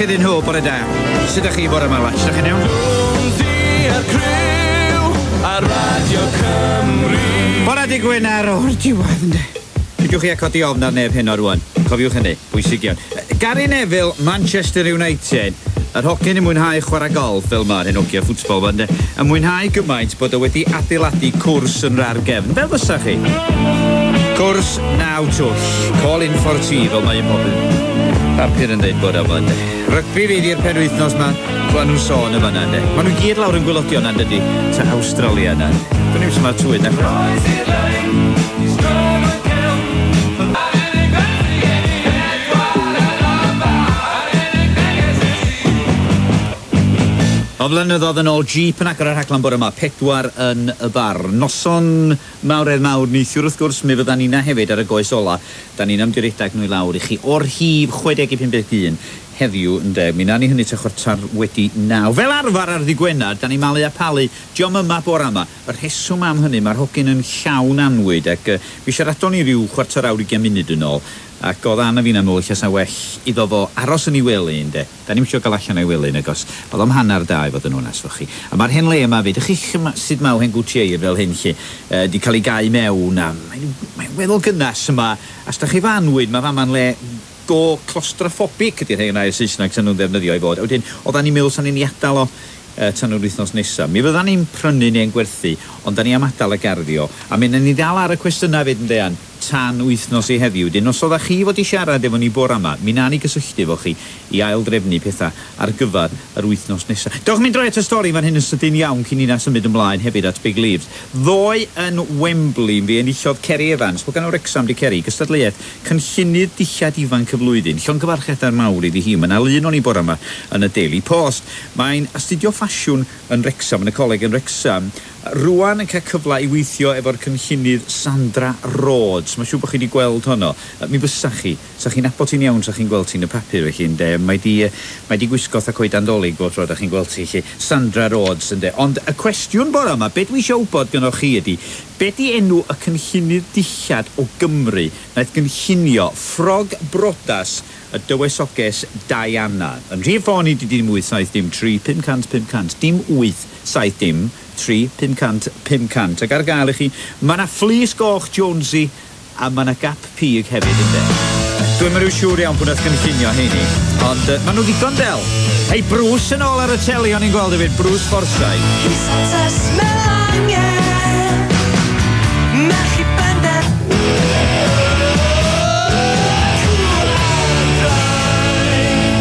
iddyn nhw, bore da. Sut ydych chi bore yma, Watch? Ydych chi'n iawn? Jonesy a'r criw ar Radio Cymru. Bore di Gwener o'r diwedd, ynddo. Peidiwch chi a codi ofn ar neb heno rwan. Cofiwch hynny, bwysig iawn. Gary Neville, Manchester United. Yr hogyn yn mwynhau chwarae golf fel ma'r hen hogia ffwtbol ma, ynde? Yn mwynhau gymaint bod o wedi adeiladu cwrs yn rar gefn. Fel fysa chi? Cwrs naw twll. Call in for tea, fel mae un pob papur yn dweud bore yma, ynde. Rygbi fydd i'r penwythnos ma, clywon nhw'n sôn yn fan'na, ynde. Maen nhw gyd lawr yn gwylodion yna, dydy, ta Awstralia yna. Dwi'n i'n sut mae'r tywydd na. Croesi'r lein, i strong o gelf. A'r unig beth sy gen i edwar yn y bar, a'r unig neges i ti. O flynyddoedd yn ôl, Jeep yn agor y rhaglen bore yma, 4 yn y bar. Noson mawredd mawr neithiwr wrth gwrs, mi fydda ni'na hefyd ar y goes ola. Da ni'n am redag nhw i lawr i chi o'r rhif 65 51 heddiw, ynde. Mi wnawn ni hynny tua 9:15. Fel arfer ar ddydd Gwener, da ni'n malu a palu. Dio'm yma bore yma. Y rheswm am hynny, mae'r hogyn yn llawn anwyd ac mi siaradon ni ryw 15 20 munud yn ôl ac oedd Anna fi'n meddwl ella sa well iddo fo aros yn ei wely, ynde. Da ni'm isio gael allan o'i wely, nagos. Oedd o'm 2:30 i fod yn onest efo chi. A mae'r hen le yma fyd, ych chi sut mae hen gwtieir fel hyn lle, di cael ei gau mewn a mae'n weddol gynnas yma. A os da chi fanwyd, mae fama'n le go claustrophobic ydy'r hen air Saesneg sy'n nhw'n ddefnyddio i fod. A wedyn, oeddan ni'n meddwl sa'n ni'n ei adael o tan yr wythnos nesaf. Mi fyddan ni'n prynu neu'n gwerthu, ond da ni am adael y garddio. A mi wnawn ni ddal ar y cwestiynau fyd yn dean, tan wythnos i heddiw. Wedyn, os oeddech chi fod i siarad efo ni bore yma, mi wnawn ni gysylltu efo chi i aildrefnu pethau ar gyfer yr wythnos nesaf. Dewch mynd droi at y stori fan hyn yn sydyn iawn cyn i ni symud ymlaen hefyd at Big Leaves. Ddoe yn Wembley, fi enillodd Kerry Evans, hogan o Wrexham di Kerry, gystadleuaeth cynllunydd dillad ifanc y flwyddyn. Llongyfarchiadau mawr iddi hi. Mae yna lun o'n i bore yma yn y Daily Post. Mae'n astudio ffasiwn yn Wrexham, yn y coleg yn Wrexham. Rwan yn cael cyfle i weithio efo'r cynllunydd Sandra Rhodes. Mae'n siŵr bod chi wedi gweld honno. Mi fysa chi. Sa chi'n nabod ti'n iawn, sa chi'n gweld ti'n y papur felly, ynde. Mae di gwisgo fatha coedan Dolig bob tro da chi'n gweld ti, lle. Sandra Rhodes, ynde. Ond y cwestiwn bore yma, be dwi eisiau wybod gynnoch chi ydy, be di enw y cynllunydd dillad o Gymru wnaeth gynllunio ffrog brodas y dywysoges Diana? Yn rhif ffôn i di dim 8 7 0 3 500 500. Dim 8 7 0 3 500 500. Ac ar gael i chi, mae yna fleece goch Jonesy a mae yna gap pig hefyd, ynde. Dwi'n mynd siŵr iawn pwy nath gynllunio heini, ond maen nhw ddigon del. Hei, Bruce yn ôl ar y teli o'n i'n gweld hefyd, Bruce Forsyth. Santes Melanie, Merch i bender.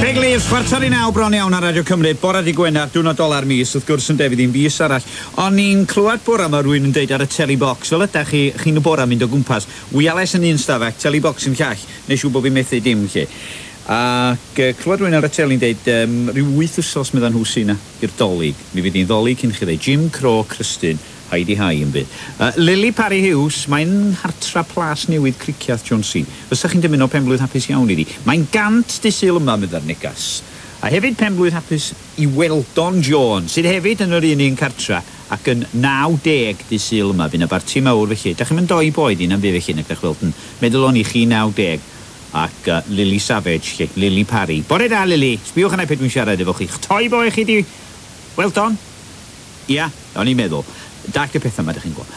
Big Leaves, 8:45 bron iawn ar Radio Cymru, bore di Gwener, diwrnod ola'r mis, wrth gwrs yn defyd un fis arall. O'n i'n clywed bore yma rhywun yn deud ar y teli box, fel ydych chi, chi'n y bore mynd o gwmpas, wireless yn un stafell, teli box yn llall, neu siŵr bod fi'n methu dim lle. Ac clywed rhywun ar y teli'n deud, rhyw 8 wsos meddan nhw sy'n na i'r Dolig. Mi fydd hi'n ddolig cyn chi ddeud Jim Crow Crystyn, Heidi Hai yn byd. Lily Parry Hughes, mae'n hartra Plas Newydd Cricieth John C. Fysa chi'n dymuno penblwydd hapus iawn iddi. Mae'n 100 dydd Sul yma, meddai'r negas. A hefyd penblwydd hapus i Weldon Jones, sydd hefyd yn yr un un cartra ac yn 90 dydd Sul yma. Fydd yna barti mawr felly. Da chi'n mynd doi boed i na'n byd felly, nag ydych weld yn meddwl o'n i chi 90 ac Lily Savage, lle, Lily Parry. Bore da, Lily. Sbiwch yna pryd dwi'n siarad efo chi. Toi boi chi di... Weldon? Ia, o'n i'n meddwl. Dag y pethau yma, ydych chi'n gweld.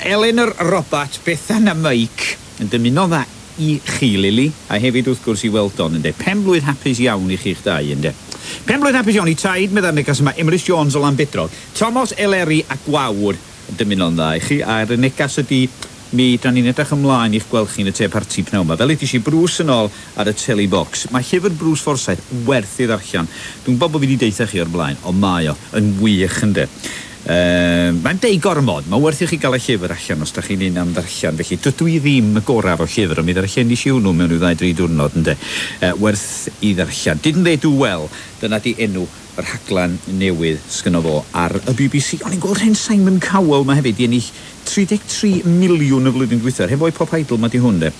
Eleanor Robert, Bethan a Mike yn dymuno dda i chi, Lily, a hefyd wrth gwrs i Weldon, ynde. Penblwydd hapus iawn i chi'ch dau, ynde. Penblwydd hapus iawn i taid, meddai'r negas yma, Emrys Jones o Lanbedrog. Thomas Eleri a Gwawr yn dymuno'n dda i chi, a'r negas ydy mi da ni'n edrych ymlaen i'ch gweld chi'n y te parti pnawn yma. Fel ydy si Bruce yn ôl ar y teli box. Mae llyfr Bruce Forsyth werth i ddarllen. Dwi'n gwybod bod fi wedi deutha chi o'r blaen, ond mae o yn wych, ynde. Mae'n deud gormod. Mae'n werth i chi gael y llyfr allan os da chi'n un am ddarllen. Felly dydw i ddim y gorau efo llyfr, ond mi ddarllenis i hwnnw mewn rhyw 2, 3 diwrnod, ynde. Werth i ddarllen. Didn't They Do Well? Dyna di enw y rhaglen newydd sgynno fo ar y BBC. O'n i'n gweld hen Simon Cowell 'ma hefyd 'di ennill 33 miliwn y flwyddyn dwytha. Yr hen foi Pop Idol 'ma 'di hwn de.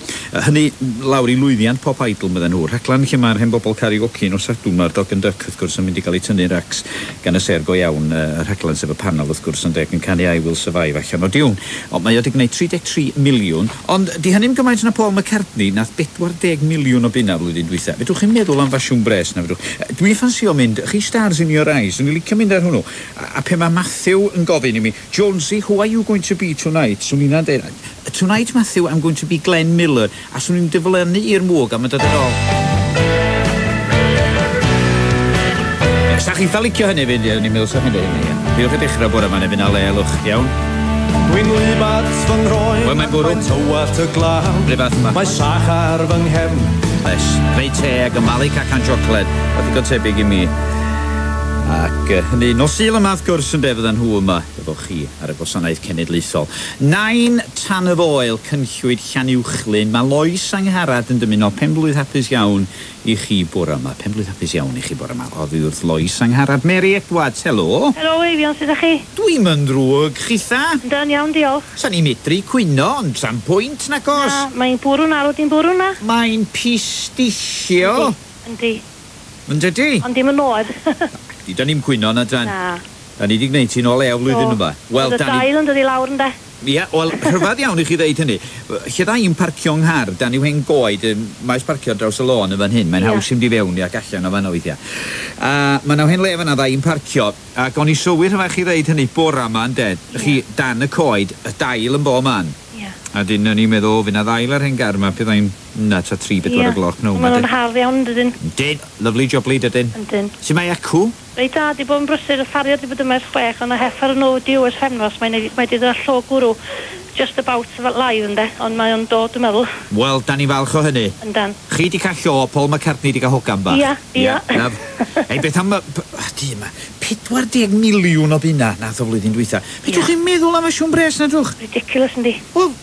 Hynny lawr i lwyddiant Pop Idol medden nhw. Rhaglen lle mae'r hen bobl karaoke nos Sadwrn ma'r Dog and Duck wrth gwrs yn mynd i gael eu tynnu racs gan y sêr go iawn y rhaglen sef y panel wrth gwrs ynde ac yn canu I Will Survive allan o diwn. Ond mae o 'di gwneud 33 miliwn ond 'di hynny'm gymaint na Paul McCartney nath 40 miliwn o bunna flwyddyn dwytha. Fedrwch chi'n meddwl am fasiwn bres na fedrwch? Dwi'n ffansio mynd, chi Stars in Your Eyes, swn i'n licio mynd ar hwnnw. A pe mae Matthew yn gofyn i mi, Jonesy, who are you going to be tonight? Swn i'n deud, tonight Matthew, I'm going to be Glenn Miller. A swn i'n diflannu i'r mwg a mae'n dod yn ôl. Sa chi'n eitha licio hynny fynd, ie, o'n i'n meddwl sa chi'n dweud hynny, ie. Fiwch y dechrau bore yma neu fynd â le, lwch, iawn. Dwi'n wlyb at fy nghroen. Wel, mae'n bwrw. Mae'n tywallt y glaw. Rhyw fath yma. Mae sach ar fy nghefn. Oes, reit teg, yn malu cacan siocled. Oedd digon tebyg i mi. Ac hynny, nos Sul yma wrth gwrs ynde, fyddan nhw yma efo chi ar y gwasanaeth cenedlaethol. Nain Tan y Foel, Cynllwyd Llanuwchllyn. Mae Lois Angharad yn dymuno penblwydd hapus iawn i chi bore yma. Penblwydd hapus iawn i chi bore yma. Oddi wrth Lois Angharad. Mary Edwards, helo. Helo Eifion, sut ydych chi? Dwi'm yn ddrwg, chitha? Yndan, iawn, diolch. Sa'n i'n medru cwyno, ond sa'm pwynt nag oes. Na, mae'n bwrw'n arw, di'n bwrw na. Mae'n pistillio. Yndi, Yn dydi? ond dim yn oer. Di, da ni'm cwyno na dan. Na. Da ni di gwneud ti'n o lew flwyddyn yma. Wel, Oedd y da ni... dail yn dod i lawr ynde? Ie, wel, rhyfedd iawn i chi ddeud hynny. Lle dda i'n parcio 'nghar, dan yw hen goed, maes parcio draws y lôn yn fan hyn. Mae'n Ie. haws i'm di fewn i ac allan o fan weithiau. A mae 'na hen le fan'na dda i'n parcio, ac o'n i sylwi rhyfedd chi ddeud hynny bora 'ma ynde, chi dan y coed, y dail yn bob man. Ie. A dyn o'n i'n meddwl, fydd 'na ddail ar hen gar 'ma, byddai'n na ta 3, 4 o gloch pnawn Maen 'ma. nhw'n hardd iawn, dydyn. Dyn, lovely jubbly dydyn. Yndyn. Su' mae acw? Reit da, di bod yn brysur, y ffariad di bod yma ers 6, ond y heffer yn overdue ers pythefnos, mae'n mae di dod â llo gwrw just about live ynde, ond mae o'n dod, dwi'n meddwl, Wel, da ni'n falch o hynny. yndan. Chi di cael llo, Paul McCartney di cael hogan bach. Ia, ia. Na, Ei, beth am... Di yma, 40 miliwn o bunna nath o flwyddyn dwytha. Be Ia. chi'n meddwl am y siwn bres na drwch? Ridiculous yndi. Wel,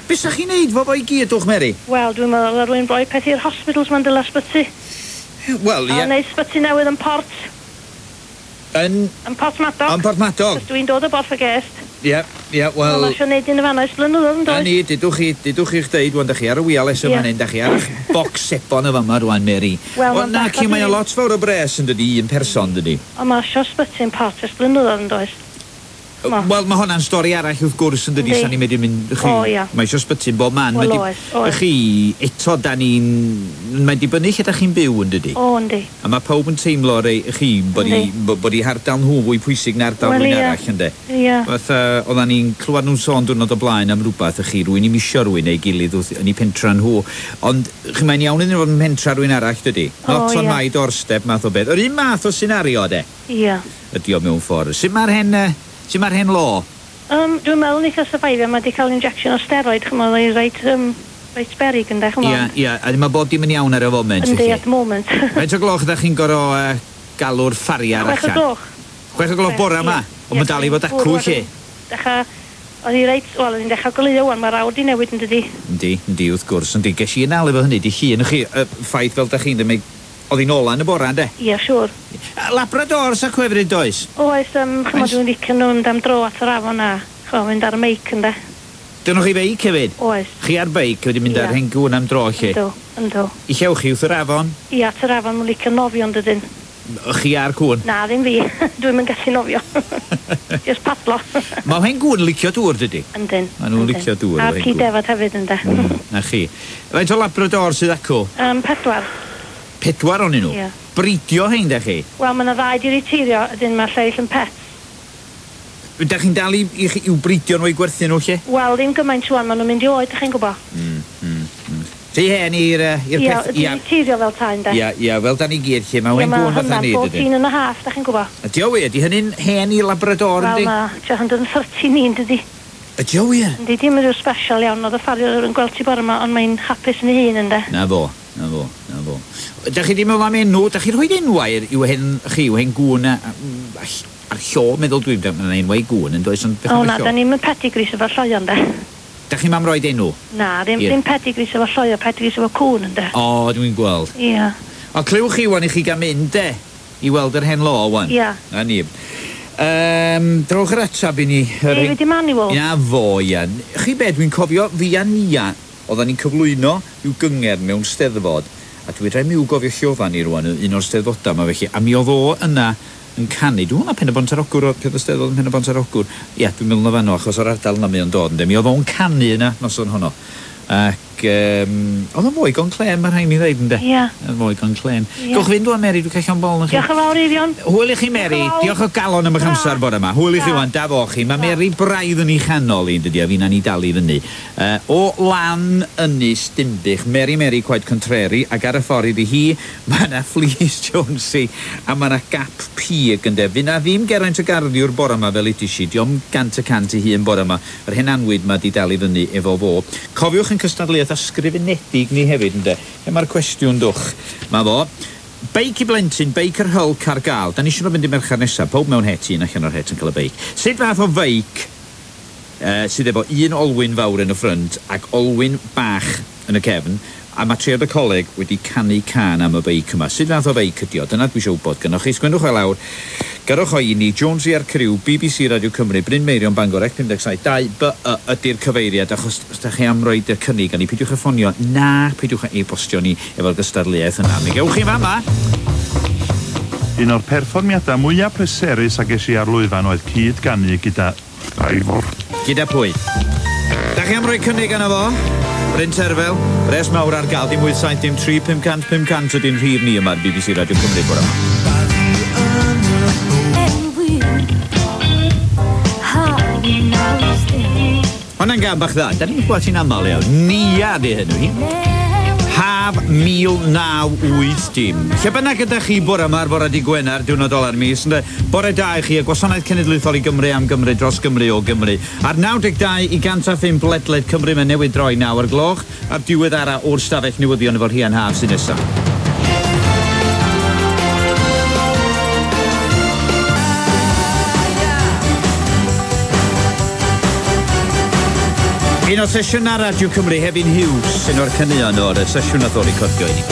be sa chi'n neud fo fo i gyd, dwch Mary? Wel, dwi'n meddwl ar rwy'n rhoi peth i'r hospitals ma'n dyla sbyty. Wel, A ie. wneud sbyty newydd yn Port, Yn... yn Porthmadog. Yn Porthmadog? Cos dwi'n dod o Borth y Gest. Ie, ie, wel... Wel, eisiau neud un yn fan'na ers blynyddoedd yn Na does? ni, dudwch chi, dudwch chi'ch deud, wan, da chi ar y wireless yma Ie. fan hyn, da chi ar eich box sebon y fama rwan, Mary. Wel, Wel, ma'n na, bach ci, o mae o ddyn. lot fawr o bres yn dydi, un person, dydi. Ond mae eisiau sbyty yn Port ers blynyddoedd yn does? Ma. Wel, mae hwnna'n stori arall wrth gwrs yn dydi, Yndi. sa ni'n medru mynd... Chi, O, ia. Mae eisiau sbyty'n bob man. Wel, Mae di- oes, oes. Chi, eto, da ni'n... Mae'n dibynnu lle da chi'n byw yn dydi. O, yndi. A mae pawb yn teimlo rei chi bod i, Yndi. bod i hardal nhw fwy pwysig na ardal Wel, rhywun ia. arall, ynde? Ia. Fatha, oeddan ni'n clywed nhw'n sôn diwrnod o blaen am rhywbeth, y chi, rwy'n i misio rwy'n ei gilydd wrth, yn ei pentra nhw. Ond, chi, mae'n iawn iddyn nhw fod yn pentra rwy'n arall, dydy? O, Not on ia. my doorstep, math o beth. Yr un math o senario, de, Ia. ydi o mewn ffordd. Sut mae'r hen, sut mae'r hen lo? Dwi'n meddwl neith o survivio, mae wedi cael injection o steroid, ch'mo, oedd reit, reit berig ynde, ch'mo. Ia, ia, a mae bob dim yn iawn ar y foment, Yndi, felly. at the moment. Faint o gloch ydych chi'n gorfod galw'r ffariar 6 o allan? gloch. 6 o gloch bora yma? Ie. Ond mae'n dal i fod acw, lle? Dechrau, oedd hi reit, wel, oedd hi'n dechrau goleuo wan, mae'r awr di newid yn dydi. Yndi, yndi, wrth gwrs, yndi. Ges i yn efo hynny, di llun, chi, ffaith fel da chi'n dweud, oedd hi'n ola yn y bora, ynde? Ie, siŵr. Labradors a cwefryd, does? Oes, ch'mo, Oes. dwi'n licio nhw mynd am dro at yr afon a, ch'mo, mynd ar y meic ynde. Dynwch chi beic hefyd? Oes. Chi ar beic wedi mynd Ie. ar hen gŵn am dro, lle? Yndw, yndw. I llewch chi wrth yr afon? Ie, at yr afon, mae'n licio nofio yn dydyn. Chi ar cŵn? Na, ddim fi. Dwi'm yn gallu nofio. Just padlo. Mae hen gŵn licio dŵr, dydy? Yndyn. Ma' nhw'n yndyn. licio dŵr, A'r efo hen ci gŵn. defad hefyd, ynde. Na chi. Faint o Labrador sydd acw? 4. 4 onyn nhw? Ie. Bridio hein, da chi? Wel, mae yna ddau di reteirio, ydyn mae'r lleill yn pet. Da chi'n dal i, i, i'w bridio nhw i gwerthu nhw, lle? Wel, ddim gymaint rŵan, maen nhw'n mynd i oed, ydych chi'n gwybod? Rhy hen i'r i'r Ie, peth... di reteirio fel ta, ynde. Ia, ia, fel da ni gyd, lle. Mae Ie, hen ma' gŵn fatha hwnna'n ni, dydy. 14 and a half, da chi'n gwybod? Ydy o wir? Di hynny'n hen i Labrador, Wel, yndi? mae 213 un, dydi. Ydy o wir? Yndi, dim yn rhyw special iawn, oedd y ffariwr yn gweld ti bore yma, ond mae'n hapus yn ei hun, ynde. Na fo, na fo, na fo. Da chi di meddwl am enw? Da chi rhoi enwau i'w hen, chi, i'w hen gŵn a'r llo, meddwl dwi'n dweud, mae'n enwau i gŵn yn does, ond beth O am y na, llo? da ni'n mynd pedigris efo lloio, ynde. Da chi'n mam roed enw? Na, ddim, Ie. ddim pedigris efo lloio, pedigris efo cŵn, ynde. O, dwi'n gweld. Ie. O, clywch chi wan i chi gael mynd, de? I weld yr hen lo, wan. Ia. Na ni. Drowch yr atab i ni. David Emmanuel. Na fo, ia. Chi be, dwi'n cofio fi a Nia, oeddan ni'n cyflwyno i'w gyngerdd mewn steddfod, a dwi rhaid mi i'w gofio lle oeddan ni rwan, un o'r steddfodau yma felly, a mi oedd o yna yn canu. Dwi'n meddwl na Pen-y-bont ar Ogwr, oedd peth y steddfod yn Pen-y-bont ar Ogwr. Ia, dwi'n meddwl na fanno, achos o'r ardal yna mae o'n dod, ynde. Mi oedd o'n canu yna noson honno. Ac oedd o'n fwy gon clên, mae rhaid mi ddeud, ynde? Ia. Oedd fwy gon clên. Ia. Gewch fynd wan, Mary, dwi'n cael llond bol na chi. Diolch yn fawr, Eifion. Hwyl i chi, Mary. Diolch yn fawr. Diolch o galon am eich Ta. amser bore yma. Hwyl i chi Ta. wan, da fo chi. Mae Mary braidd yn ei chanol i, dydy, a fi'n ni dal i fyny. O lan Ynys Dinbych, Mary Mary quite contrary, ac ar y ffordd iddi hi, mae yna Fleece Jonesy, a mae yna gap pig ynde. Fy na ddim Geraint y Garddiwr bore yma fel ydy si, diom 100% i hun bore yma. Yr hen anwyd ma di dal i fyny efo fo. Cofiwch yn cystadleuaeth ysgrifenedig ni hefyd, ynde. Lle mae'r cwestiwn dwch? Mae fo. Beic i blentyn, beic yr Hulk ar gael. Da ni eisiau nhw fynd i Mercher nesaf. Pob mewn het, un allan o'r het yn cael y beic. Sut fath o feic sydd efo un olwyn fawr yn y ffrynt ac olwyn bach yn y cefn, a mae triad y coleg wedi canu cân am y beic yma. Sut fath o feic ydi o? Dyna dwi eisiau wybod gynnoch chi. Sgwennwch o lawr. Gyrrwch o i ni, Jonesy a'r criw, BBC Radio Cymru, Bryn Meirion, Bangor, 57 2 B Y ydy'r cyfeiriad, achos os da chi am roid y cynnig, a ni peidiwch â ffonio, na peidiwch â e-bostio ni efo'r gystadleuaeth yna. Mi gewch chi fama. Un o'r perfformiadau mwyaf pleserus a ges i ar lwyfan oedd cyd-ganu gyda Ivor. Gyda pwy? Da chi am roi cynnig arno fo? Bryn Terfel, res mawr ar gael, dim 8 7 dim 3 500 500 ydy'n rhif ni yma ar BBC Radio Cymru bore yma. Hwna'n gan bach dda. Da ni'n clywed hi'n aml iawn. Nia di hynny hi. Haf 1980. Lle bynnag ydych chi bore yma ar fore di Gwener, diwrnod ola'r mis, ynde? Bore da i chi, y Gwasanaeth Cenedlaethol i Gymru am Gymru dros Gymru o Gymru. Ar 92 i 105 ledled Cymru, mae newydd droi 9 o'r gloch, a'r diweddara o'r stafell newyddion efo'r Rhian Haf sy'n nesaf. Un o sesiynau Radio Cymru, Hefin Hughes, un o'r caneuon o'r sesiwn nath o recordio i ni.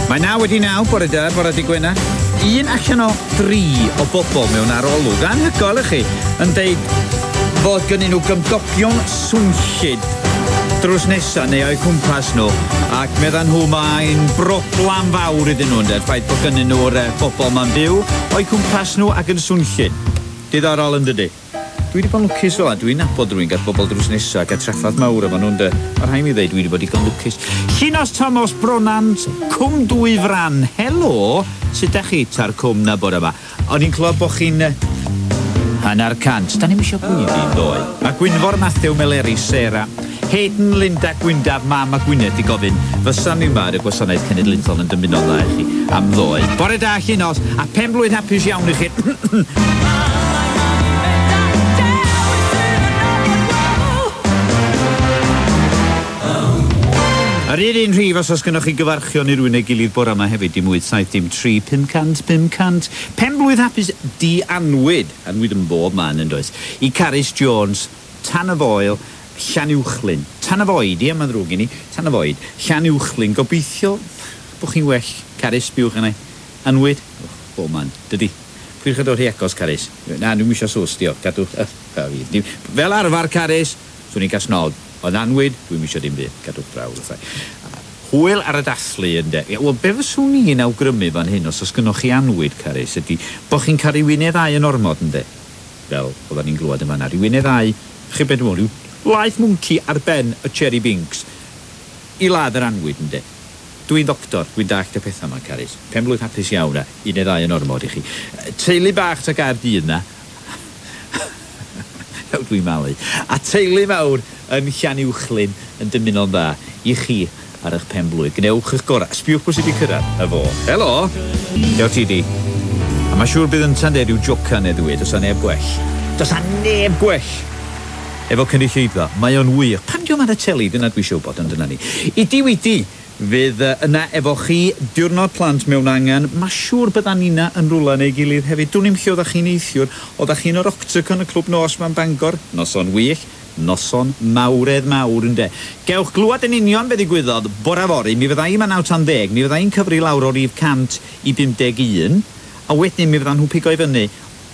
Mae 9:09, bore da, bore di Gwener. Un allan o dri o bobl mewn arolwg, anhygoel i chi, yn deud fod gynnyn nhw gymdogion swnllyd drws nesa neu o'u cwmpas nhw, ac meddan nhw mae'n broblam fawr iddyn nhw, ynde, ffaith bod gynnyn nhw'r bobl ma'n byw o'u cwmpas nhw ac yn swnllyd. Diddorol yn dydi? Dwi wedi bod yn lwcus fel 'na, dwi'n nabod rhywun gath bobl drws nesa a traffath mawr efo nhw ynde. Mae rhaid mi ddeud dwi wedi bod digon lwcus. Llinos Thomas Bronant, Cwm Dwy Fran, helo, sut dach chi ta'r cwm na bore yma? O'n i'n clywed bod chi'n 1/2. Da ni'm isio gweiddi ddoe. Mae Gwynfor Matthew Meleri, Sarah, Hayden, Linda, Gwyndaf, Mam a Gwyneth i gofyn fysa ni yma ar y Gwasanaeth Cenedlaethol yn dymuno'n dda i chi am ddoe. Bore da Llinos, a pen blwydd hapus iawn i chi. Yr un rhif os oes gennoch chi gyfarchion i rywun neu gilydd bore yma hefyd, dim 8 7 dim 3 500 500. Pen blwydd hapus di anwyd, anwyd yn bob man yn does, i Carys Jones, Tan y Foel, Llanuwchllyn. Tan y Foed, ie, mae'n ddrwg i ni, Tan y Foed, Llanuwchllyn. Gobeithio bod chi'n well, Carys, sbiwch yna. Anwyd, oh, bob man, dydy. Pwych yn dod hi agos, Carys. Na, dwi'm isio sws, diolch, cadw. Fel arfer, Carys, swn i'n casnod. Ond anwyd, dwi'm isio dim byd, cadwch draw, fatha. Hwyl ar y dathlu, ynde. Ie, wel, be fyswn i'n awgrymu fan hyn, os oes gynnoch chi anwyd, Carys, ydy bod chi'n cael rhyw un neu ddau yn ormod, ynde? Fel oedden ni'n glywed yn fan'na, rhyw un neu ddau, chi be dwi'n meddwl, rhyw laeth mwnci ar ben y Cherry Binks i ladd yr anwyd, ynde? Dwi'n ddoctor, dwi'n dallt y pethau yma, Carys. Pen blwydd hapus iawn, a un neu ddau yn ormod i chi. Teulu bach ta Gaerdydd na. Dwi'n malu. A teulu mawr yn Llanuwchllyn yn dymuno'n dda i chi ar eich pen blwydd. Gwnewch eich gorau. Sbiwch pwy sydd wedi cyrraedd. Y fo. Helo! Diolch ti di. A mae siŵr bydd ynta'n deud rhyw joca neu ddwy. Does 'na neb gwell. Does 'na neb gwell efo cynulleidfa. Mae o'n wych. Pam dio'm ar y teli? Dyna dwi eisiau wybod, ond dyna ni. I di wedi fydd yna efo chi diwrnod plant mewn angen. Mae siŵr byddan nina yn rwla neu gilydd hefyd. Dwn i'm lle oeddach chi'n neithiwr. Oeddach chi'n yr Octagon y clwb nos ma'n Bangor. Noson wych. Noson mawredd mawr ynde. Gewch glwad yn union be ddigwyddodd bore fory. Mi fydda i yma 9 tan 10. Mi fydda i'n cyfri lawr o rif 100 i 51. A wedyn mi fyddan nhw pigo i fyny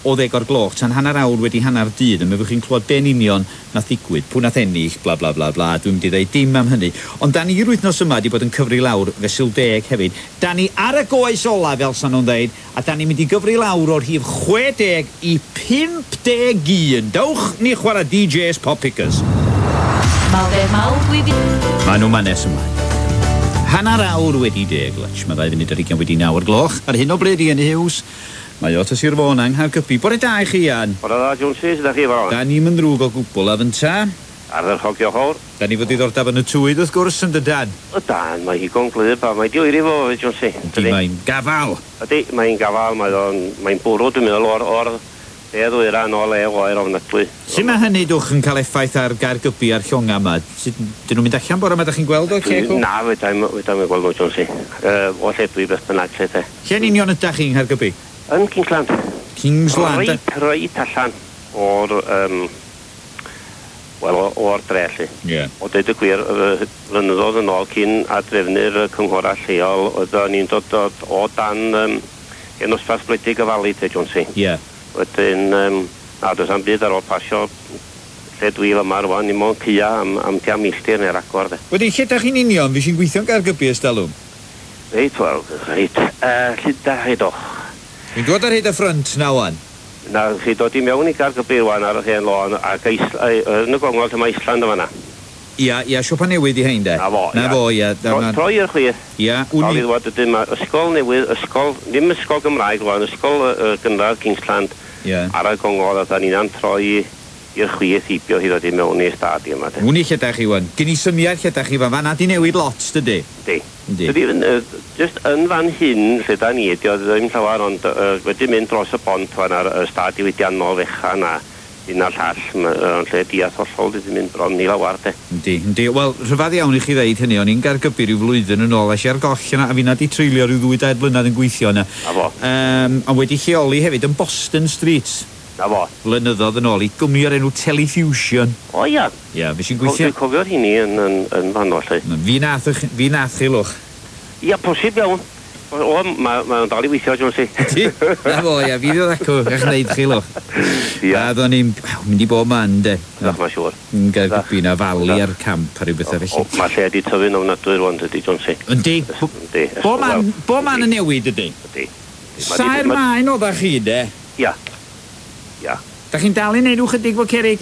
o 10 o'r gloch tan hanner awr wedi hanner dydd, a mi fyddwch chi'n clywed be'n union nath ddigwydd, pwy nath ennill, bla bla bla bla, dwi'n mynd i ddeud dim am hynny. Ond da ni'r wythnos yma wedi bod yn cyfri lawr fesul 10 hefyd. Da ni ar y goes ola, fel sa nhw'n ddeud, a da ni'n mynd i gyfri lawr o'r rhif 60 i 51. Dewch ni chwarae DJs Pop Pickers. Mawr mawr dwi fi... Maen nhw manes ymlaen. Hanner awr wedi 10, Lutch. Mae 9:40 wedi 9 o'r gloch. Ar hyn o bryd, Ian Hughes. Mae o Sir Fôn yng Nghaergybi. Bore da i chi, Ian. Bore da, Jonesy, sut ydach chi fawr? Da ni'm yn ddrwg o gwbl, a fynta? Ardderchog, diolch fawr. Da ni fod diddordeb yn y tywydd, wrth gwrs, yn dydan? Ydan, mae higon gwlyb a mae di oeri fo, Jonesy. Ydy, mae'n gafal. Ydy, mae'n gafal, mae o'n, mae'n bwrw, dwi'n meddwl, o'r, o'r de ddwyran o le oer ofnadwy. Sut mae hynny, dwch, yn cael effaith ar Gaergybi a'r llonga yma? Sut, dyn nhw'n mynd allan bore yma, da chi'n gweld o, lle cw? Na, fedra i'm gweld nhw, Jonesy. O lle dwi beth bynnag, lle te. Lle'n union ydach chi yng Nghaergybi? Yn Kingsland. Kingsland? Reit allan o'r, wel, o'r dre, lle. Ie. O deud y gwir, flynyddoedd yn ôl cyn adrefnu'r cynghorau lleol, oedden ni'n dod o dan hen ddosbarth gwledig y Fali, te, Jonesy. Ie. Wedyn, na, does am byd ar ôl pasio lle dwi fyma rwan, dim ond caea am tua milltir neu ragor, de. Wedyn, lle dach chi'n union? Fi sy'n gweithio'n Gaergybi ers talwm? Reit, wel, reit. Lle dach chi doch? Fi'n dod ar hyd y ffrynt na wan. Na, chi dod i mewn i Gaergybi rwan ar yr hen lôn ac yn y gongol lle mae Island yma na. Ia, ia, siopa newydd i hein de. Na fo, Na ia. fo, ia. Troi i'r chwith. Ia, wn wn i. Ddwad ydyn, mae ysgol newydd, ysgol, ddim ysgol Gymraeg rwan, ysgol gynradd Kingsland. Ia. Ar y gongol, a da ni'n troi i'r chwith heibio hi ddod i mewn i'r stad yma de. Wn i lle dach chi wan. Gen i syniad lle dach chi fan. Fan di newid lot, dydy? Di. Yndi. Dydy, just yn fan hyn lle da ni, di o ddim llawer, ond wedi mynd dros y bont fan ar y stad diwydiannol fechan a un a'r llall, yn lle diath hollol wedi mynd bron i lawar, de. Yndi, yndi. Wel, rhyfedd iawn i chi ddeud hynny, o'n i'n Gaergybi rhyw flwyddyn yn ôl, es i ar goll yna, a finna di treulio rhyw 2-3 blynedd yn gweithio yna. Na fo. Ond wedi lleoli hefyd yn Boston Street. Na fo. Blynyddoedd yn ôl i gwmni o'r enw Telefusion. O ia. Ia, fi sy'n gweithio. Dwi'n cofio'r hynny yn fanno, lle. Fi nath chi, lwch. Ia, posib iawn. O, mae'n dal i weithio, Jonesy. Ti? Na fo, ia, fi ddod acw, eich wneud chi, lwch. Ia. A ddo'n ni'n mynd i bob man, de. Ydach, mae'n siŵr. Yn Gaergybi na falu ar camp a rhyw bethau felly. O, mae lle di tyfu'n ofnadwy rwan, dydy, Jonesy. Yndi. Yndi. Bo man yn newid, ydy? Yndi. Saer maen oeddach chi, de? Ia. Ia. Da chi'n dal i neud chydig fo cerig?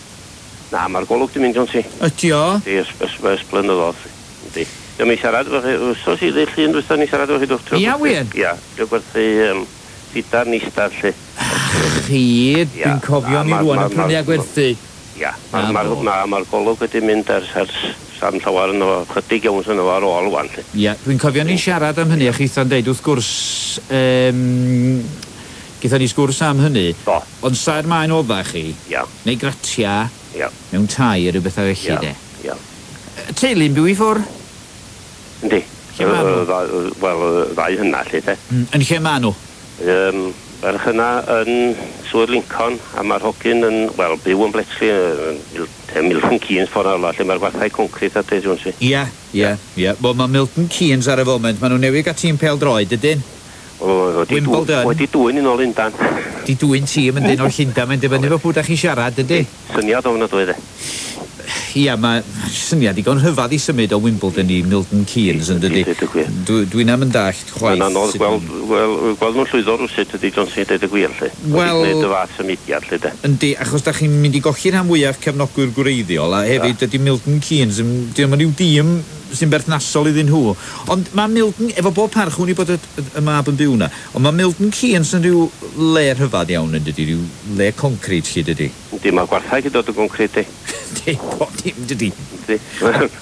Na, mae'r golwg di mynd, Jonesy. Ydi o? Yndi, ys blynyddoedd. Yndi. Dwi'n mi siarad efo chi, wsos i ddydd Llun dwytha ni siarad efo chi, dwch. Ia, wir? Ia, dwi'n gwerthu ffidar nistar, lle. Chi, dwi'n cofio ni rwan yn prynu a gwerthu. Ia, mae'r golwg wedi mynd ers sam llawer yn o, chydig iawn sy'n efo ar ôl wan, lle. Ia, dwi'n cofio ni siarad am hynny, a chitha'n deud, wrth gwrs, gaethon ni sgwrs am hynny. Do. Ond saer maen odda chi. Ia. Neu gratia. Ia. Mewn tai a rhyw bethau felly, de. Ia. Teulu'n byw i ffwr? Yndi. Lle ma' nhw? Wel, ddau hynna, lle, de. Yn lle ma' nhw? Ferch yna yn Swydd Lincoln, a mae'r hogyn yn, wel, byw yn Bletchley, Milton Keynes ffordd arall, lle mae'r gwarthau concrit a de, Jonesy. Ia, ia, ia. Wel, mae Milton Keynes ar y foment, maen nhw newydd gael tîm pêl-droed, ydyn? Wimbledon. Wedi dwyn yn ôl Lundan. Di dwyn tîm yn dyn o'r Llundain, mae'n dibynnu efo pwy da chi'n siarad, ydy? Syniad ofnadwy, de. Ia, mae syniad digon rhyfedd i symud o Wimbledon i Milton Keynes, yn dydy? Dwi'n am yn dallt chwaith. Mae'n anodd gweld nhw'n llwyddo rywsut ydy, Jonesy, deud y gwir, lle. Wel... Wedi gwneud y fath symudiad, lle, de. Yndi, achos da chi'n mynd i golli rhan fwyaf cefnogwyr gwreiddiol, a hefyd dydy Milton Keynes, dyn nhw'n rhyw dîm sy'n berthnasol iddyn nhw. Ond mae Milton, efo bob parch, hwn i bod y mab yn byw na, ond mae Milton Keynes yn rhyw le rhyfedd iawn yn dydy, rhyw le concret lle dydy. Yndi, mae gwarthau gyda dod o concret, di. Yndi, bob dim dydy. Yndi.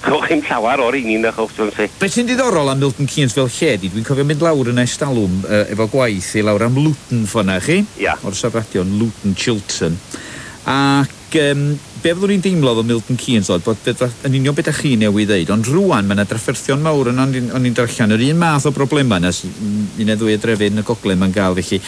Chwch chi'm llawer o'r un na chwch, Jonesy. Be sy'n diddorol am Milton Keynes fel lle di, dwi'n cofio mynd lawr yn estalwm efo gwaith i lawr am Luton ffordd chi. Ia. O'r safradion, Luton Chiltern. Ac be fyddwn ni'n deimlo efo Milton Keynes oedd, bod yn union beth â chi newydd ddeud, ond rwan mae yna drafferthion mawr yn o'n i'n darllen yr un math o broblemau yna, un neu ddwy o drefi yn y gogledd mae'n gael, felly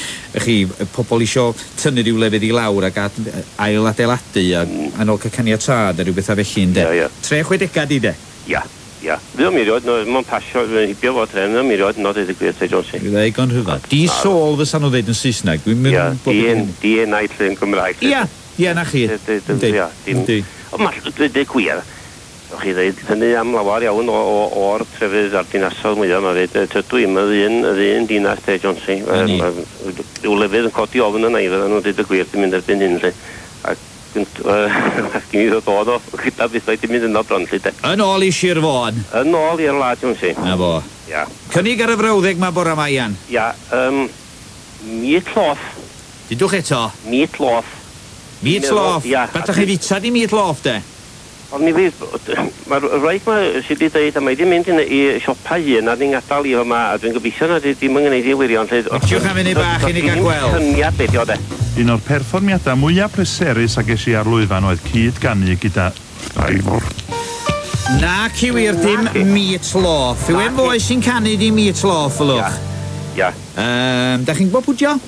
chi, pobl isio tynnu rhyw lefydd i lawr ac ail adeiladu a yn ôl cael caniatâd a rhyw bethau felly, ynde? Ia, ia. 360 di, de? Ia. Ia. Fydd o'n mirioed, no, mae'n pasio, mae'n hibio fo tren, fydd o'n mirioed, no, dweud y gwir, te Jones. Fydd egon rhyfedd. Di sôl fysa nhw ddeud yn Saesneg. Dwi'n Ia, mynd... di-enaid lle yn Gymraeg. Ia, ia, na chi. Yndi, Ia, dim... yndi. Ond mae, dweud y gwir, o'ch chi ddeud hynny am lawer iawn o'r trefydd a'r dinasoedd mwyaf yma fyd. Tydw i'm yr un dinas te, Jonesy. Na ni. Rhyw lefydd yn codi ofn yna i fyddan nhw'n dweud y gwir, dwi'n mynd erbyn hyn, lle. Ac gyn i ddod o gyda bethau dwi'n mynd yno bron, lle, de. Yn ôl i Sir Fôn. Yn ôl i'r wlad, Jonesy. Na fo. Ia. Cynnig ar y frawddeg ma bora ma, Ian. Ia, meat loaf. Dudwch eto. Meat loaf. Meat loaf. Ia. Be dach chi fita di meat loaf, de? Ond mi fydd, mae'r wraig ma sydd wedi dweud, a mae wedi mynd i siopa hun a ni'n gadael i yma, a dwi'n gobeithio na ddim yn gwneud i wirion. lle- Liciwch am funud bach i ni gael gweld. Syniad beth o de. Un o'r perfformiadau mwyaf pleserus a ges i ar lwyfan oedd cyd-ganu gyda Ivor. Na, ci wir, dim Naci. meat loaf. Yw e'n Naci. foi sy'n canu di meat loaf, ylwch? Ia. Da chi'n gwybod pwdio?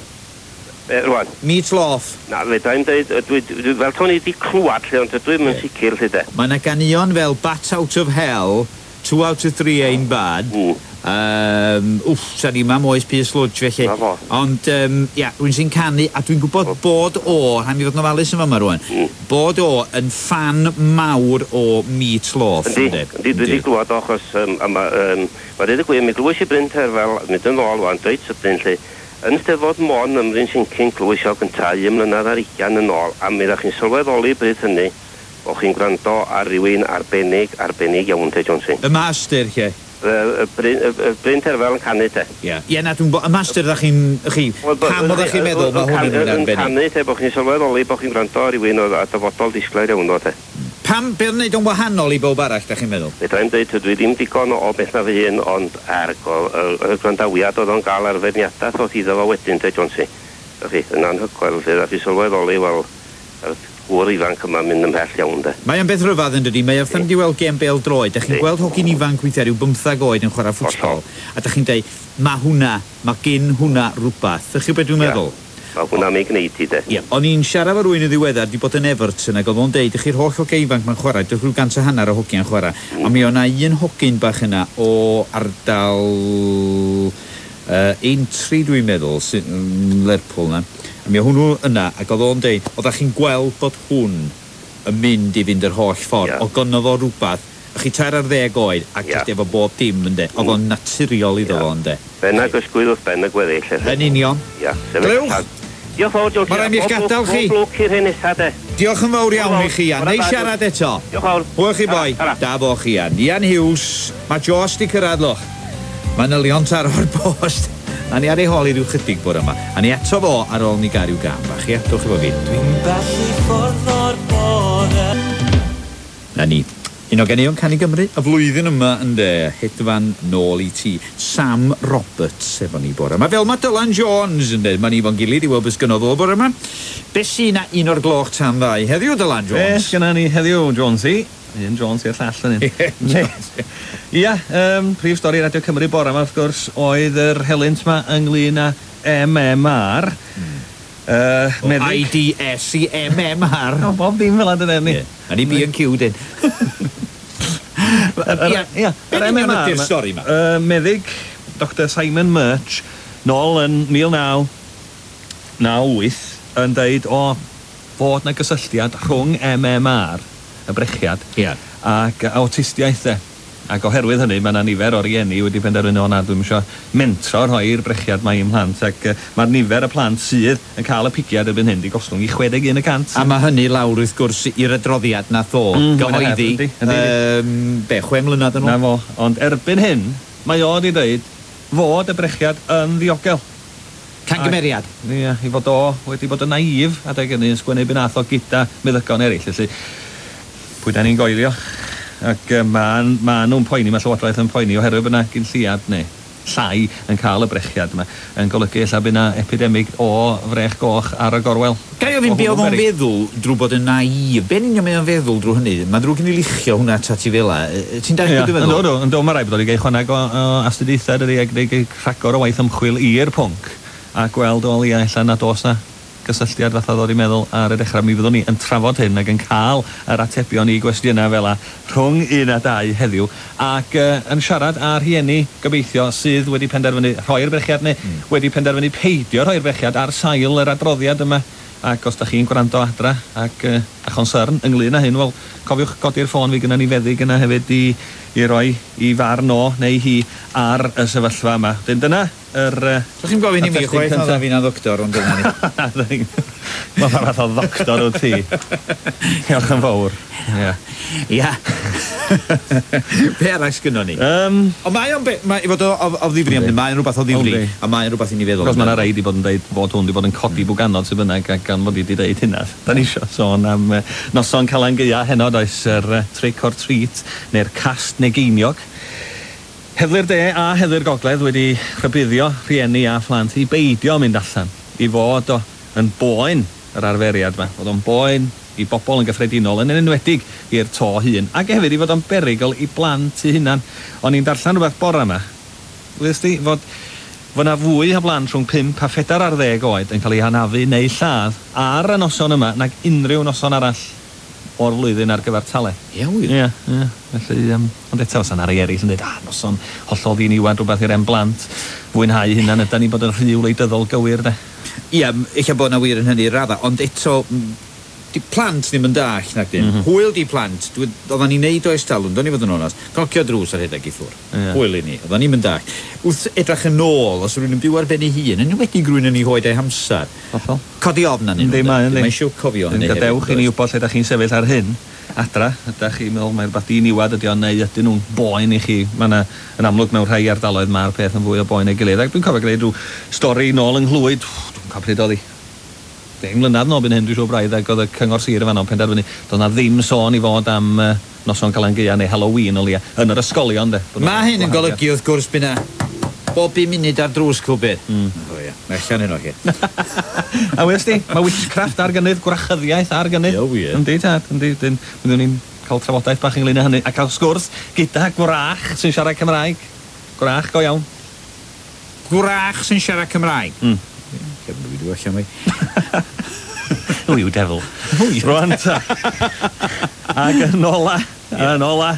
Rwan, Meat loaf. na, fedra i'm dweud, dwi, fel to'n i wedi clywed lle, ond dwi ddim yn sicr lle de. Mae yna ganeuon fel Bat Out of Hell, Two Out of Three Ain't Bad. Wff, sa'n i mam oes Pierce Sludge felly. Na fo. Ond, ia, rwy'n sy'n canu, a dwi'n gwybod bod o, rhaid mi fod yn ofalus yn fama rwan, bod o yn ffan mawr o Meat Loaf. Yndi, yndi, dwi wedi glwad o, achos, a ma dweud y gwir, mi glwys i Bryn Terfel, mynd yn ôl wan, dweud sydyn lle, yn Steddfod Môn ym Mryn Sincyn glwys o gynta, 1 mlynedd ar 20 yn ôl, a mi ddech chi'n sylweddoli bryd hynny, bo chi'n gwrando ar rywun arbennig, arbennig iawn, te Johnson. Y master, lle. Y Bryn Terfel yn canu, te. Ia, Ie, na, dwi'n gwybod, y master ddech chi'n, chi, pam oeddech chi'n meddwl mae hwn yn rhywun Yn arbennig? canu, te, bo chi'n sylweddoli bo chi'n gwrando ar rywun oedd a dyfodol disglair iawn o, te. Pam, be o'n neud o'n wahanol i bob arall, dach chi'n meddwl? Fedra i'm dweud, dwi ddim digon o beth na fy hun, ond ergo, y gwrandawiad oedd o'n gael ar feirniadaeth oedd iddo fo wedyn, te, Jonesy. Dach chi, yn anhygoel, lle ddech chi sylweddoli, wel, yr gŵr ifanc yma mynd ymhell iawn, de. Mae o'n beth rhyfedd yn dydi, mae o'n wedi weld gêm bêl droed. Dach chi'n Yndi. gweld hogyn ifanc weithiau rhyw 15 oed yn chwarae ffwtbol. A dach chi'n deud, mae hwnna, mae gyn hwnna rhywbeth. Dach chi'n beth dwi'n Ie. meddwl? Mae hwnna mi gwneud i, de. Ie, o'n i'n siarad efo rywun yn ddiweddar, di bod yn Everton, ac oedd o'n deud, chi'r holl hogia ifanc ma'n chwarae, dych rhyw 150 o hogiau'n chwarae. A mi o'na un hogyn bach yna o ardal Aintree, dwi'n meddwl, sy'n Lerpwl na. A mi o hwnnw yna, ac oedd o'n deud, oeddech chi'n gweld bod hwn yn mynd i fynd yr holl ffordd. Ie. Oedd gynno fo rhywbeth, chi 13 oed, ac Ie. jyst efo bob dim, ynde. Oedd o'n naturiol iddo Ie. fo, ynde. Ben ag ysgwydd wrth ben y gweddill. lle. Yn union. Ia. sefyll Glywch. allan. Diolch fawr, Jonesy. Ma' raid mi eich Pob lwc- gadael chi. Pob lwc i'r hyn nesa, de. Diolch yn fawr iawn i chi, Ian. Bore Neis da, siarad eto. Diolch fawr. Hwyl chi boi. Tara, tara. Da bo chi, Ian. Ian Hughes. Mae Jos di cyrraedd, lwch. Manylion taro'r post. A ni ar ei hôl i ryw chydig bore yma. A ni eto fo ar ôl ni gael ryw gam bach, ia? Dwch efo fi. Dwi'n bell i ffwrdd o'r bore. Na ni. Un o ganeuon Canu Gymru, y flwyddyn yma ynde, hedfan nôl i ti. Sam Roberts efo ni bore yma. Fel mae Dylan Jones ynde, mae ni fo'n gilydd i weld beth sgynno fo bore yma. Be sy na 1 o'r gloch tan 2 heddiw, Dylan Be Jones? sgynna ni heddiw, Jonesy? Un Jones i'r llall yn un. Ia, prif stori Radio Cymru bore yma, wrth gwrs, oedd yr helynt yma ynglyn â MMR. Meddyg... IDS i MMR. O, bob dim fel yna, ni. Ie. A ni B&Q, dyn. Ia, Ia, Be yr yn union MMR ydi'r 'ma, stori 'ma? Meddyg Dr Simon Murch, nôl yn 1998, yn deud o fod na gysylltiad rhwng MMR, y brechiad, Ia. ac awtistiaeth de. Ac oherwydd hynny, mae yna nifer o rieni wedi penderfynu o na, dwi'm isio mentro rhoi'r brechiad mae i'm mhlant ac mae'r nifer y plant sydd yn cael y pigiad erbyn hyn di gostwng i 61%. A mae hynny lawr wrth gwrs i'r adroddiad nath o gyhoeddi. Yndi, yndi. Be, 6 mlynedd yn ôl? Na fo, ond erbyn hyn, mae o wedi dweud fod y brechiad yn ddiogel. Cangymeriad. Ie, i fod o wedi bod yn naif adeg hynny yn sgwennu beth nath o gyda meddygon eraill, felly pwy da ni'n goelio? Ac ma' ma nhw'n poeni, mae Llywodraeth yn poeni oherwydd bod yna gyn lleiad neu llai yn cael y brechiad yma yn golygu ella bydd yna epidemig o frech goch ar y gorwel. Ga i ofyn O be oedd hwnnw'n o'n beryg. feddwl drwy bod yn naif? Be'n union mae o'n feddwl drwy hynny? Mae'n ddrwg gen i luchio hwnna atat ti fel 'a. Ti'n dallt Ie, beth dwi'n feddwl? Yndw, yndw, yndw, mae rhaid bod o'n gael chwaneg o astudiaethau dydi, ac gwneud rhagor o waith ymchwil i'r pwnc a gweld o leia ella nad oes na gysylltiad fatha ddod i meddwl ar y dechrau. Mi fyddwn ni yn trafod hyn ac yn cael yr atebion i gwestiynau fel 'a rhwng 1 a 2 heddiw ac yn siarad â rhieni gobeithio sydd wedi penderfynu rhoi'r brechiad neu wedi penderfynu peidio rhoi'r brechiad ar sail yr adroddiad yma. Ac os da chi'n gwrando adra ac â chonsyrn ynglyn â hyn, wel, cofiwch godi'r ffôn, fi gynna ni feddyg yna hefyd i i roi i farn o neu hi ar y sefyllfa yma. Wedyn dyna yr Dach chi'm gofyn i mi chwaith, na fi'n ddoctor, ond dyna ni. Wel, pa fath o ddoctor wyt ti? Diolch yn fawr. Ia. Ia. Be arall sgynnon ni? Ond mae o'n be- mae i fod o, o, o ddifri am hyn, mae'n rhywbeth o ddifri, a mae'n rhywbeth i ni feddwl Cos mae yna rei di bod yn deud fod hwn di bod yn codi bwganod sydd bynnag, ac gan fod i di deud hynna. Da ni isio sôn am noson Calan Gaea heno, does, yr trick or treat, neu'r cast neu geiniog. Heddlu'r De a Heddlu'r Gogledd wedi rhybuddio rhieni a phlant i beidio mynd allan, i fod o yn boen yr arferiad 'ma, fod o'n boen i bobl yn gyffredinol, yn enwedig i'r to hŷn, ac hefyd i fod o'n berygl i blant eu hunan. O'n i'n darllen rhywbeth bore 'ma, wyddost ti, fod fod 'na fwy o blant rhwng pump a phedair ar ddeg oed yn cael eu hanafu neu lladd ar y noson yma nag unrhyw noson arall o'r flwyddyn ar gyfartaledd. Ie wir? Ie, ie. Felly, yym, ond eto, fysa 'na rei eraill yn deud, ah, noson hollol ddiniwad, rhywbeth i'r hen blant fwynhau hunan, ydan ni'n bod yn rhy wleidyddol gywir, de? Ia, ella bod 'na wir yn hynny i radda, ond eto, 'di plant ddim yn dallt, nacdyn? Hwyl 'di plant. Dwi... Oeddan ni'n neud o ers talwm, do'n i fod yn onast. Cnocio drws a rhedeg i ffwr'. Hwyl i ni. Oeddan ni'm yn dallt. Wrth edrach yn ôl, os yw rhywun yn byw ar ben ei hun, yn enwedig rhywun yn ei hoed a'i hamsar, Hollol. Codi ofn arnyn nhw, Yndi, mae, yndi. Mae eisiau cofio hynny hefyd. Gadewch i ni wybod lle da chi'n sefyll ar hyn, adra. Ydach chi'n meddwl mai rhywbeth diniwad ydi o, neu ydyn nhw'n boen i chi? Mae 'na, yn amlwg mewn rhai ardaloedd mae'r peth yn fwy o boen ei gilydd. Ac dwi'n cofio gwneud rhyw stori nôl yng Nghlwyd, dwi'm yn cofio pryd oedd hi, 10 mlynedd nôl byn hyn dwi'n siŵr braidd, ac oedd y Cyngor Sir yn fanno yn penderfynu doedd 'na ddim sôn i fod am noson Calan Gaea neu Halloween o leia, yn yr ysgolion de. Mae hyn yn golygu wrth gwrs by' 'na bob bum munud ar drws cwbwrdd. O ia, mae allan heno chi. A wyddost ti, mae witchcraft ar gynnydd, gwrachyddiaeth ar gynnydd. Ie wir. Yndi tad, yndi, wedyn byddwn ni'n cael trafodaeth bach ynglyn â hynny a cael sgwrs gyda gwrach sy'n siarad Cymraeg. Gwrach go iawn. Gwrach sy'n siarad Cymraeg? Lle ma' fi 'di allan fi. Who you devil. Rwan ta. Ac yn ola, yn ola,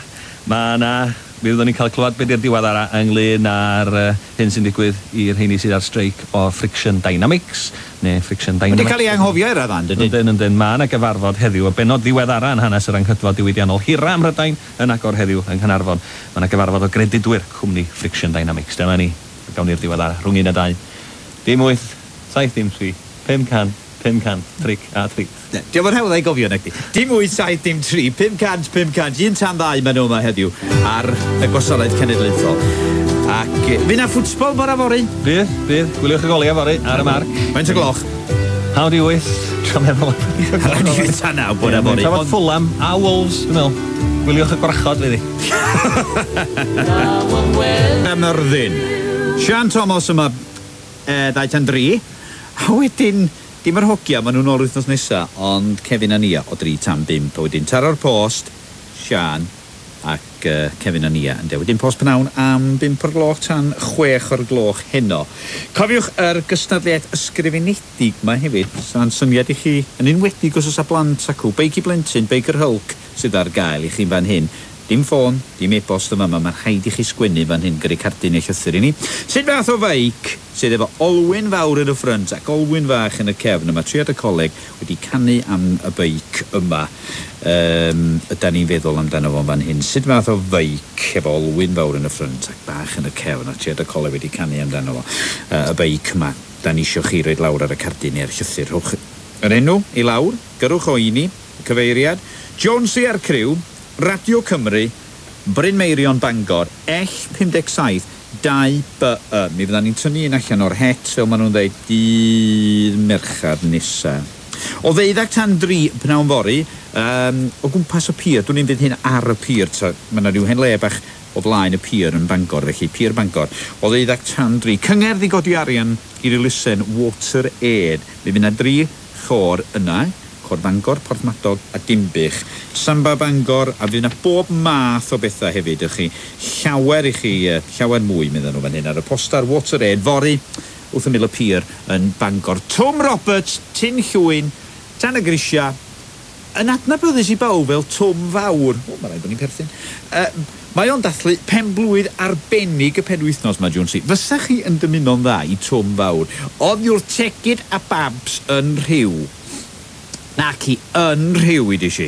mae yna... Mi fyddwn ni'n cael clywed be di'r diweddara ynglyn â'r hyn sy'n digwydd i'r rheini sydd ar streic o Friction Dynamics, neu Friction Wedi Dynamics. cael ei anghofio i'r raddan, dydyn? Yndyn, yndyn. Mae yna gyfarfod heddiw, y bennod ddiweddara yn hanes yr anghydfod diwydiannol hira ym Mhrydain yn agor heddiw yng Nghaernarfon. Mae yna gyfarfod o gredydwyr cwmni Friction Dynamics. Dyma ni. Gawn ni'r diweddara rhwng 1 a 2. Dim 8, 7 dim 3, 500, 500, tric a treat. Dio'm yn hawdd ei gofio, nacdi? Dim 8, 7, dim 3, 500, 500, 1 tan 2 maen nhw yma heddiw ar y Gwasanaeth Cenedlaethol. Ac fydd 'na ffwtbol bora fory? Bydd, bydd. Gwyliwch y goliau fory ar y marc. Faint o gloch? Hanner 'di wyth. Trio meddwl. Hanner 'di wyth tan naw bora fory. Trafod Fulham a Wolves, dwi'n meddwl. Gwyliwch y gwrachod, fydd hi. Myrddin. Sian Thomas yma, 2 tan 3. A wedyn, dim yr hogia, maen nhw'n ôl wythnos nesa, ond Kevin a Nia o 3 tan 5. A wedyn taro'r post, Sian ac Kevin a Nia ynde. Wedyn post pnawn am 5 o'r gloch tan 6 o'r gloch heno. Cofiwch yr gystadleuaeth ysgrifenedig ma hefyd, sa'n syniad i chi, yn enwedig os oes 'na blant acw, Beic i Blentyn, Beic yr Hulk sydd ar gael i chi fan hyn. Dim ffôn, dim e-bost yn fama, mae'n rhaid i chi sgwennu fan hyn, gyrru cardyn neu llythyr i ni. Sut fath o feic sydd efo olwyn fawr yn y ffrynt ac olwyn fach yn y cefn? A mae triad y coleg wedi canu am y beic yma. Um, ydan ni'n feddwl amdano fo fan hyn. Sut fath o feic efo olwyn fawr yn y ffrynt ac bach yn y cefn a triad y coleg wedi canu amdano fo. Y beic yma. Da ni isio chi roid lawr ar y cardyn neu'r llythyr. Rhowch yr enw i lawr, gyrrwch o i ni, y cyfeiriad. Jonesy a'r criw, Radio Cymru, Bryn Meirion Bangor, L57 2BY. Mi fyddan ni'n tynnu un allan o'r het, fel maen nhw'n dweud, dydd Mercher nesa. O ddeuddag tan dri pnawn fory, o gwmpas y pier, dwn i'm fydd hyn ar y pier, ta, mae 'na ryw hen le bach o flaen y pier yn Bangor, felly pier Bangor, o ddeuddag tan dri. Cyngerdd i godi arian i'r elusen Water Aid. Mi fydd 'na dri chôr yna, Côr Bangor, Porthmadog a Dinbych. Samba Bangor, a fydd 'na bob math o bethau hefyd i chi. Llawer i chi, llawer mwy, medden nhw fan hyn ar y postar Water Aid fory wrth ymyl y pier yn Bangor. Twm Roberts, Tyn Llwyn, Tan y Grisia, yn adnabyddus i bawb fel Twm Fawr. O, mae rhaid bod ni'n perthyn. Mae o'n dathlu penblwydd arbennig y penwythnos 'ma, Jonesy. Fysa chi yn dymuno'n dda i Twm Fawr? Oddi wrth Tegid a Babs yn Rhyw. Naci, yn Rhyw i di si.